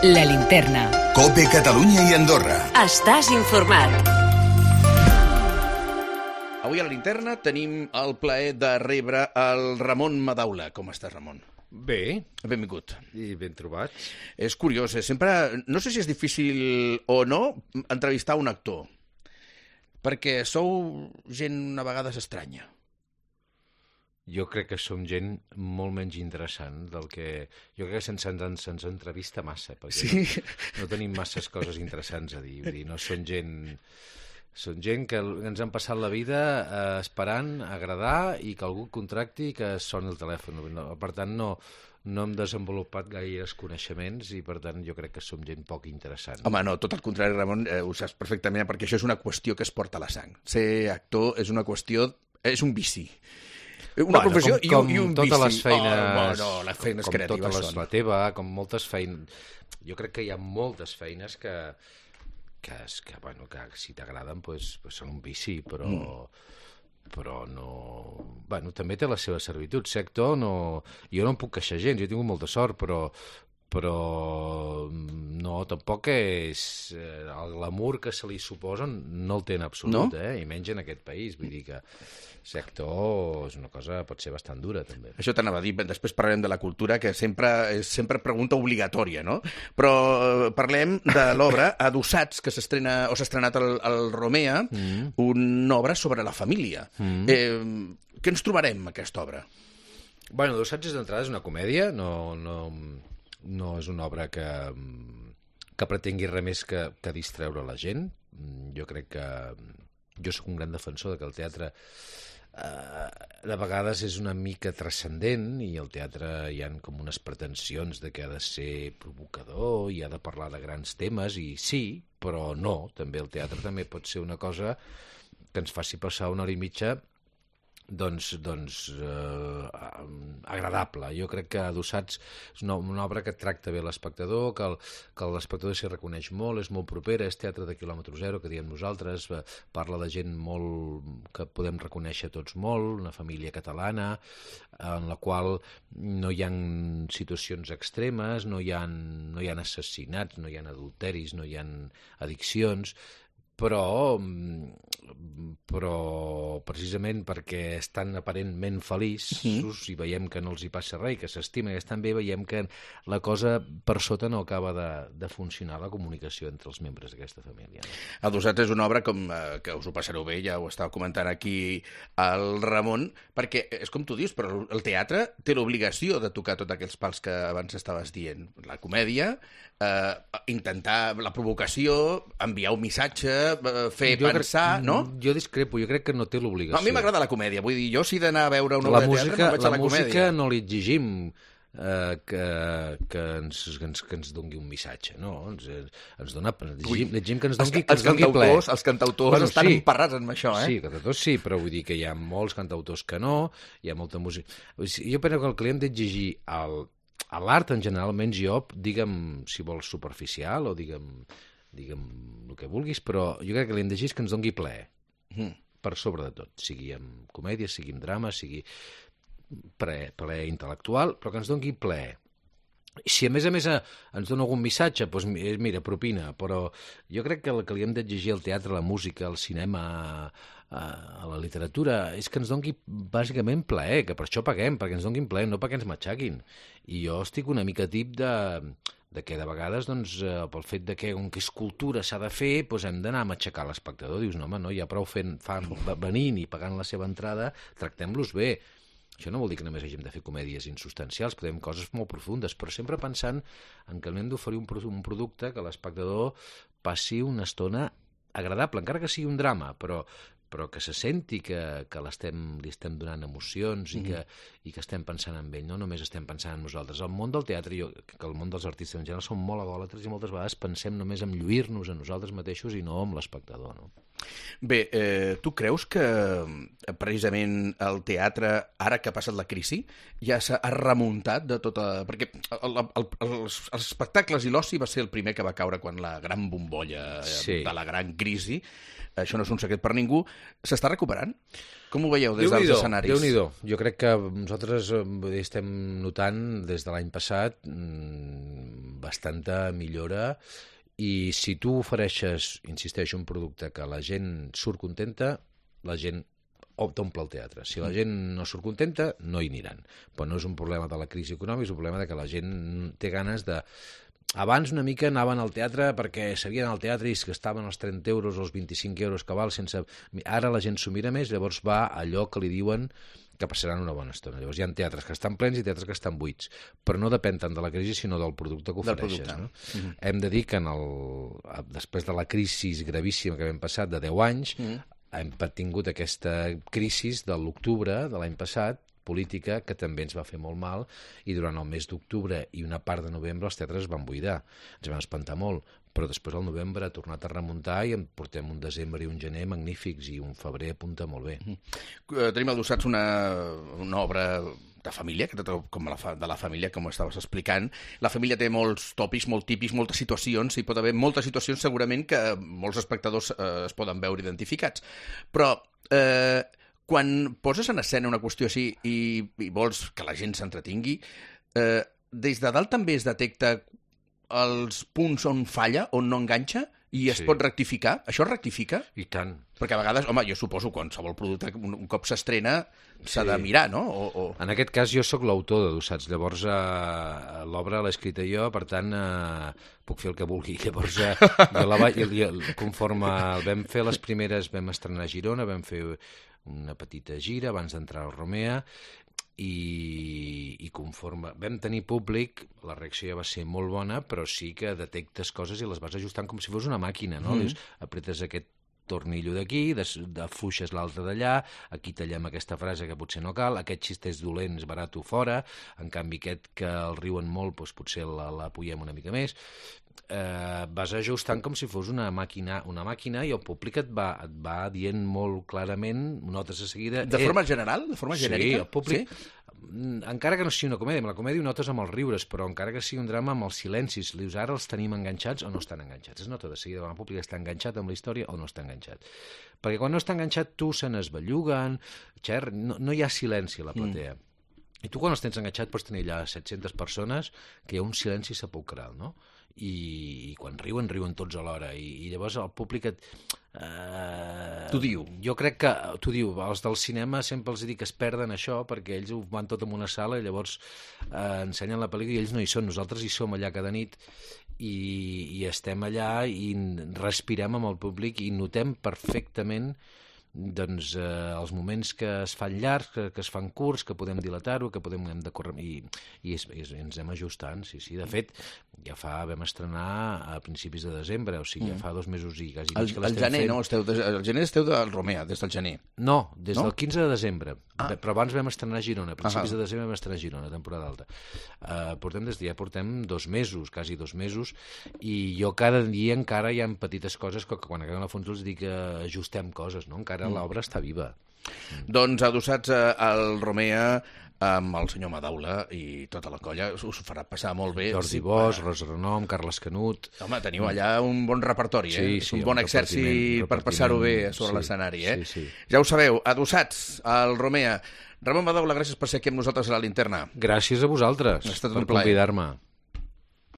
La Linterna. COPE Catalunya i Andorra. Estàs informat. Avui a La Linterna tenim el plaer de rebre el Ramon Madaula. Com estàs, Ramon? Bé. Benvingut. I ben trobats. És curiós, sempre... No sé si és difícil o no entrevistar un actor, perquè sou gent a vegades estranya. Jo crec que som gent molt menys interessant del que... Jo crec que se'ns entrevista massa, perquè Sí? no tenim masses coses interessants a dir. Vull dir, no són gent... Són gent que ens han passat la vida esperant agradar i que algú contracti i que soni el telèfon. Per tant, no hem desenvolupat gaires coneixements i, per tant, jo crec que som gent poc interessant. Home, no, tot el contrari, Ramon, ho saps perfectament, perquè això és una qüestió que es porta a la sang. Ser actor és una qüestió... és un vici. Una professió i un vici. Totes les feines, les feines com creatives totes són. la teva, com moltes feines... Jo crec que hi ha moltes feines que si t'agraden són un vici, però no... Bueno, també té la seva servitud. Ser actor, jo no em puc queixar gens, jo he tingut molta sort, però no, tampoc és... El glamour que se li suposa no el té en absolut, No? I menys en aquest país. Vull dir que ser actor és una cosa, pot ser bastant dura, també. Això t'anava a dir, després parlarem de la cultura, que sempre és pregunta obligatòria, no? Però parlem de l'obra Adossats, que s'ha estrenat al Romea, una obra sobre la família. Què ens trobarem, aquesta obra? Bueno, Adossats d'entrada és una comèdia, no és una obra que pretengui res més que distreure la gent. Jo crec que... Jo sóc un gran defensor que el teatre de vegades és una mica transcendent i al teatre hi ha com unes pretensions de que ha de ser provocador i ha de parlar de grans temes, i sí, però no. També el teatre també pot ser una cosa que ens faci passar una hora i mitja agradable. Jo crec que Adossats és una obra que tracta bé l'espectador, que l'espectador s'hi reconeix molt, és molt propera, és teatre de quilòmetre zero, que diem nosaltres, parla de gent molt que podem reconèixer tots molt, una família catalana, en la qual no hi ha situacions extremes, no hi ha assassinats, no hi ha adulteris, no hi ha addiccions, però precisament perquè estan aparentment feliços i veiem que no els hi passa res i que s'estimen i estan bé, veiem que la cosa per sota no acaba de funcionar, la comunicació entre els membres d'aquesta família. Adossats és una obra que us ho passareu bé, ja ho estava comentant aquí el Ramon, perquè és com tu dius, però el teatre té l'obligació de tocar tots aquells pals que abans estaves dient. La comèdia, intentar la provocació, enviar un missatge, fer pensar, no? Jo discrepo, jo crec que no té l'obligació. No, a mi m'agrada la comèdia, vull dir, jo si he d'anar a veure una obra de teatre, me'n vaig a la comèdia. La música no li exigim que ens doni un missatge, no? Ens dona... L'exigim que ens doni ple. Els cantautors estan emparrats amb això, Sí, cantautors sí, però vull dir que hi ha molts cantautors que no, hi ha molta música... Jo penso que el que li hem d'exigir a l'art en general, almenys jo, digue'm si vols superficial o digue'm el que vulguis, però jo crec que li hem d'exigir que ens doni plaer, per sobre de tot, sigui en comèdia, sigui en drama, sigui plaer intel·lectual, però que ens doni plaer. Si a més ens dona algun missatge, doncs mira, propina, però jo crec que el que li hem d'exigir al teatre, a la música, al cinema, a la literatura, és que ens doni bàsicament plaer, que per això paguem, perquè ens donin plaer, no perquè ens matxaquin. I jo estic una mica tip de que de vegades, doncs, pel fet de que com que és cultura s'ha de fer, doncs hem d'anar a matxacar l'espectador. Dius, no, home, no, ja prou venint i pagant la seva entrada, tractem-los bé. Això no vol dir que només hàgim de fer comèdies insubstancials, podem coses molt profundes, però sempre pensant en que hem d'oferir un producte que l'espectador passi una estona agradable, encara que sigui un drama, però que se senti que li estem donant emocions i que estem pensant en ell, no només estem pensant en nosaltres. El món del teatre, que el món dels artistes en general, són molt egòlatres i moltes vegades pensem només en lluir-nos a nosaltres mateixos i no en l'espectador, no? Bé, tu creus que precisament el teatre, ara que ha passat la crisi, ja s'ha remuntat de tota... Perquè els espectacles i l'oci va ser el primer que va caure quan la gran bombolla de la gran crisi, això no és un secret per ningú, S'està recuperant? Com ho veieu des dels escenaris? Déu-n'hi-do. Jo crec que nosaltres estem notant des de l'any passat bastanta millora, i si tu ofereixes, insisteixo, un producte que la gent surt contenta, la gent t'omple el teatre. Si la gent no surt contenta, no hi aniran. Però no és un problema de la crisi econòmica, és un problema de que la gent té ganes de... Abans una mica anaven al teatre perquè sabien al teatre i es gastaven els 30 euros o els 25 euros que val sense... Ara la gent s'ho mira més, llavors va a allò que li diuen que passaran una bona estona. Llavors hi ha teatres que estan plens i teatres que estan buits, però no depèn tant de la crisi sinó del producte que ofereixes. No? Hem de dir que després de la crisi gravíssima que vam passar de 10 anys, hem tingut aquesta crisi de l'octubre de l'any passat, política, que també ens va fer molt mal, i durant el mes d'octubre i una part de novembre els teatres es van buidar. Ens vam espantar molt, però després el novembre ha tornat a remuntar i en portem un desembre i un gener magnífics, i un febrer apunta molt bé. Tenim adossats una obra de família, que com de la família, com estaves explicant. La família té molts tòpics, molt típics, moltes situacions, i pot haver moltes situacions segurament que molts espectadors es poden veure identificats. Però quan poses en escena una qüestió així i vols que la gent s'entretingui, des de dalt també es detecta els punts on falla, on no enganxa, i es pot rectificar? Això es rectifica? I tant. Perquè a vegades, home, jo suposo qualsevol producte, un cop s'estrena, s'ha de mirar, no? En aquest cas jo sóc l'autor d'Adossats, llavors l'obra l'he escrita jo, per tant puc fer el que vulgui. Llavors, conforme vam fer les primeres, vam estrenar a Girona, vam fer una petita gira abans d'entrar al Romea, i conforme vam tenir públic, la reacció ja va ser molt bona, però sí que detectes coses i les vas ajustant com si fos una màquina, no? Dius, apretes aquest tornillo d'aquí, afluixes l'altre d'allà, aquí tallem aquesta frase que potser no cal, aquest xiste és dolent, és barat-ho fora, en canvi aquest que el riuen molt, doncs potser l'apugem una mica més. Vas ajustant com si fos una màquina, i el públic et va dient molt clarament, notes de seguida... De forma general? De forma genèrica? Sí, el públic... Encara que no sigui una comèdia, amb la comèdia ho notes amb els riures, però encara que sigui un drama amb els silencis, li dius, ara els tenim enganxats o no estan enganxats. Es nota de seguida quan el públic està enganxat amb la història o no està enganxat. Perquè quan no està enganxat tu se n'esbelluguen, no hi ha silenci a la platea. I tu quan els tens enganxat pots tenir allà 700 persones que hi ha un silenci sepulcral, no? I quan riuen tots alhora, i llavors el públic t'ho diu. Jo crec que t'ho diu. Els del cinema sempre els dic que es perden això perquè ells ho van tot en una sala i llavors ensenyen la pel·lícula i ells no hi són. Nosaltres hi som allà cada nit i estem allà i respirem amb el públic i notem perfectament doncs els moments que es fan llargs, que es fan curts, que podem dilatar-ho, que hem de córrer, i ens anem ajustant, sí. De fet, ja vam estrenar a principis de desembre, o sigui, ja fa 2 mesos i quasi mig que l'estem fent. El gener esteu del Romea, des del gener. No, des del 15 de desembre, però abans vam estrenar a Girona, a principis de desembre vam estrenar a Girona, temporada alta. Ja portem 2 mesos, quasi 2 mesos, i jo cada dia encara hi ha petites coses que quan acabem la fons els dic que ajustem coses, no? Encara l'obra està viva. Doncs adossats al Romea amb el senyor Madaula i tota la colla, us ho farà passar molt bé. Jordi Bosch, Rosa Renom, Carles Canut... Home, teniu allà un bon repertori, Sí, és un bon exèrcit per passar-ho bé sobre l'escenari, Sí. Ja ho sabeu, adossats al Romea. Ramon Madaula, gràcies per ser aquí amb nosaltres a la Linterna. Gràcies a vosaltres per convidar-me.